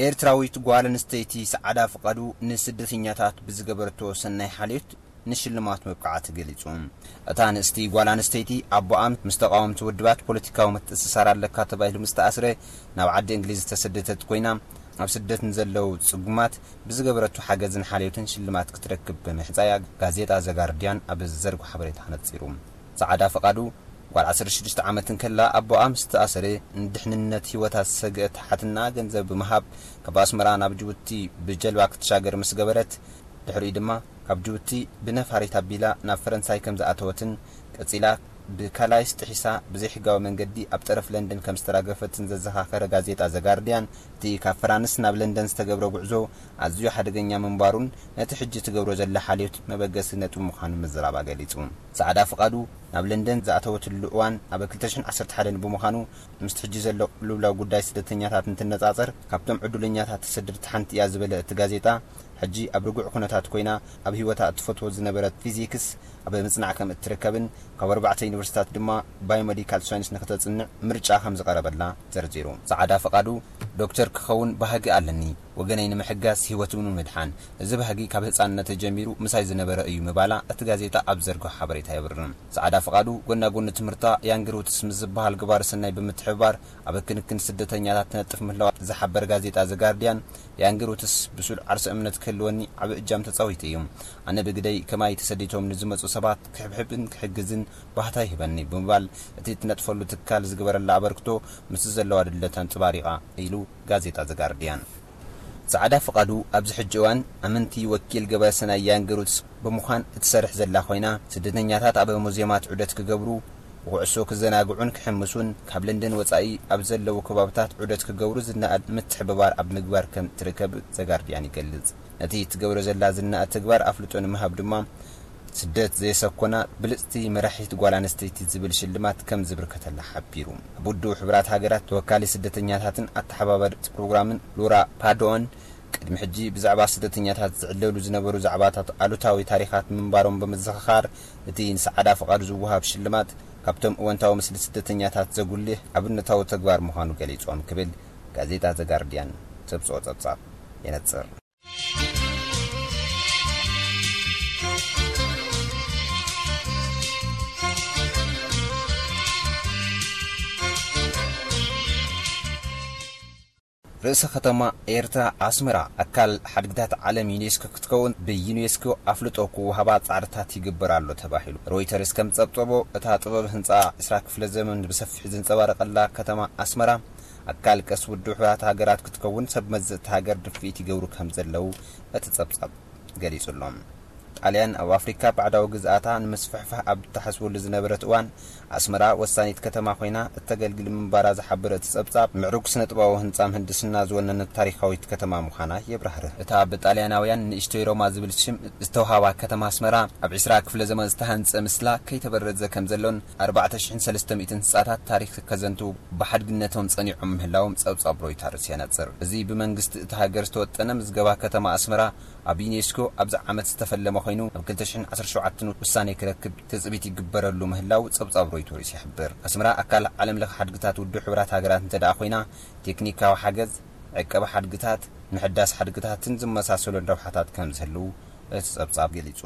ኤርትራዊት ጓል ኣንስተይቲ ሰዓዳ ፍቓዱ ንስደተኛታት ብዝገበረቶ ሰናይ ሓልዮት ንሽልማት መብቃዓ ተገሊጹ። እታ ንእስቲ ጓል ኣንስተይቲ ኣቦኣ ምስ ተቓወምቲ ውድባት ፖለቲካዊ ምትእስሳር ኣለካ ተባሂሉ ምስ ተኣስረ ናብ ዓዲ እንግሊዝ ዝተሰደተት ኮይና፣ ኣብ ስደት ንዘለዉ ጽጉማት ብዝገበረቶ ሓገዝን ሓልዮትን ሽልማት ክትረክብ ብምሕጻያ ጋዜጣ ዘጋርድያን ኣብ ዘርጎ ሓበሬታ ነጺሩ። ሰዓዳ ፍቓዱ ጓል ዓሰርተ ሽዱሽተ ዓመት እንከላ ኣቦኣ ምስ ተኣሰረ ንድሕንነት ህይወታ ዝሰግአ ተሓትና ገንዘብ ብምሃብ ካብ ኣስመራ ናብ ጅቡቲ ብጀልባ ክትሻገር ምስ ገበረት፣ ድሕሪኡ ድማ ካብ ጅቡቲ ብነፋሪት ኣቢላ ናብ ፈረንሳይ ከም ዝኣተወትን ቀጺላ ብካላይስ ጥሒሳ ብዘይሕጋዊ መንገዲ ኣብ ጠረፍ ለንደን ከም ዝተራገፈትን ዘዘኻኸረ ጋዜጣ ዘጋርድያን፣ እቲ ካብ ፈራንስ ናብ ለንደን ዝተገብረ ጉዕዞ ኣዝዩ ሓደገኛ ምንባሩን ነቲ ሕጂ ትገብሮ ዘላ ሓልዮት መበገሲ ነጥቢ ምዃኑ ምዝራባ ገሊጹ። ሰዓዳ ፍቓዱ ናብ ለንደን ዝኣተወትሉ እዋን ኣብ ክልተ ሽሕን ዓሰርተ ሓደን ብምዃኑ፣ ምስቲ ሕጂ ዘሎ ቅልውላው ጉዳይ ስደተኛታት እንትነጻጸር፣ ካብቶም ዕዱለኛታት ተሰደድቲ ሓንቲ እያ ዝበለ እቲ ጋዜጣ፣ ሕጂ ኣብ ርጉዕ ኩነታት ኮይና ኣብ ህይወታ እትፈትዎ ዝነበረት ፊዚክስ ኣብ ምጽናዕ ከም እትርከብን ካብ ኣርባዕተ ዩኒቨርሲታት ድማ ባዮሜዲካል ሳይንስ ንክተጽንዕ ምርጫ ከም ዝቐረበላ ዘርዚሩ። ሰዓዳ ፍቓዱ፣ ዶክተር ክኸውን ባህጊ ኣለኒ፣ ወገነይ ንምሕጋዝ ህይወቱ ንምድሓን። እዚ ባህጊ ካብ ህጻንነተ ጀሚሩ ምሳይ ዝነበረ እዩ ምባላ እቲ ጋዜጣ ኣብ ዘርግሖ ሓበሬታ የብርህ። ሰዓዳ ፍቓዱ ጎና ጎኒ ትምህርታ ያንግ ሩትስ ምስ ዝበሃል ግባረ ሰናይ ብምትሕብባር ኣብ ክንክን ስደተኛታት ትነጥፍ ምህላዋ ዝሓበር ጋዜጣ ዘጋርድያን፣ ያንግ ሩትስ ብሱል ዓርሰ እምነት ክህልወኒ ዓቢ እጃም ተጻዊቱ እዩ። ኣነ ብግደይ ከማይ ተሰዲቶም ንዝመጹ ሰባት ክሕብሕብን ክሕግዝን ባህታ ይህበኒ ብምባል፣ እቲ እትነጥፈሉ ትካል ዝግበረላ ኣበርክቶ ምስ ዘለዋ ድለት ኣንጽባሪቓ ኢሉ ጋዜጣ ዘጋርድያን። ጻዕዳ ፍቓዱ ኣብዚ ሕጂ እዋን ኣመንቲ ወኪል ገበረ ሰናይ ያንግ ሩትስ ብምዃን እትሰርሕ ዘላ ኮይና፣ ስደተኛታት ኣብ ሙዚየማት ዑደት ክገብሩ፣ ብኩዕሶ ክዘናግዑን ክሕምሱን፣ ካብ ለንደን ወጻኢ ኣብ ዘለዉ ከባብታት ዑደት ክገብሩ ዝነኣድ ምትሕብባር ኣብ ምግባር ከም ትርከብ ዘጋርድያን ይገልጽ። ነቲ ትገብሮ ዘላ ዝነኣድ ተግባር ኣፍልጦ ንምሃብ ድማ፣ ስደት ዘየሰኮና ብልጽቲ መራሒት ጓል ኣንስተይቲ ዝብል ሽልማት ከም ዝብርከተላ ሓቢሩ። ኣብ ውድብ ሕቡራት ሃገራት ተወካሊ ስደተኛታትን ኣተሓባባሪ ፕሮግራምን ሉራ ፓዶን፣ ቅድሚ ሕጂ ብዛዕባ ስደተኛታት ዝዕለሉ ዝነበሩ ዛዕባታት ኣሉታዊ ታሪኻት ምንባሮም ብምዝኽኻር፣ እቲ ንሰዓዳ ፍቓዱ ዝወሃብ ሽልማት ካብቶም እወንታዊ ምስሊ ስደተኛታት ዘጉልህ ኣብነታዊ ተግባር ምዃኑ ገሊጾም ክብል ጋዜጣ ዘጋርድያን ዘብጽኦ ጸብጻብ የነጽር። ርእሰ ከተማ ኤርትራ ኣስመራ ኣካል ሓድግታት ዓለም ዩኔስኮ ክትከውን ብዩኔስኮ ኣፍልጦ ክወሃባ ጻዕርታት ይግበር ኣሎ ተባሂሉ። ሮይተርስ ከም ጸብጸቦ፣ እታ ጥበብ ህንጻ ዕስራ ክፍለ ዘመን ብሰፊሕ ዘንጸባረቐላ ከተማ ኣስመራ ኣካል ቅርሲ ውድብ ሕቡራት ሃገራት ክትከውን ሰብ መዚ እታ ሃገር ድፍኢት ይገብሩ ከም ዘለዉ እቲ ጸብጻብ ገሊጹ ኣሎ። ጣልያን ኣብ ኣፍሪካ ባዕዳዊ ግዝኣታ ንምስፍሕፋሕ ኣብ እትሓስበሉ ዝነበረት እዋን፣ ኣስመራ ወሳኒት ከተማ ኮይና እተገልግል ምንባራ ዝሓበረ እቲ ጸብጻብ፣ ምዕሩግ ስነ-ጥበባዊ ህንጻ ምህንድስና ዝወነነት ታሪኻዊት ከተማ ምዃና የብራህርህ። እታ ብጣልያናውያን ንእሽቶይ ሮማ ዝብል ሽም ዝተውሃባ ከተማ ኣስመራ፣ ኣብ ዕስራ ክፍለ ዘመን ዝተሃንጸ ምስላ ከይተበረዘ ከም ዘሎን ኣርባዕተ ሽሕን ሰለስተ ሚእትን ህንጻታት ታሪኽ ከዘንትዉ ብሓድግነቶም ጸኒዖም ምህላዎም ጸብጻብ ሮይተርስ የነጽር። እዚ ብመንግስቲ እታ ሃገር ዝተወጠነ ምዝገባ ከተማ ኣስመራ ኣብ ዩኔስኮ ኣብዚ ዓመት ዝተፈለመ ኮይኑ፣ ኣብ ክልተ ሽሕን ዓሰርተ ሸውዓተን ውሳኔ ክረክብ ትጽቢት ይግበረሉ ምህላው ጸብጻብ ሮይተርስ ይሕብር። ኣስመራ ኣካል ዓለም ለኸ ሓድግታት ውድብ ሕቡራት ሃገራት እንተ ደኣ ኮይና፣ ቴክኒካዊ ሓገዝ፣ ዕቀባ ሓድግታት፣ ምሕዳስ ሓድግታትን ዝመሳሰሉን ረብሓታት ከም ዝህልው እቲ ጸብጻብ ገሊጹ።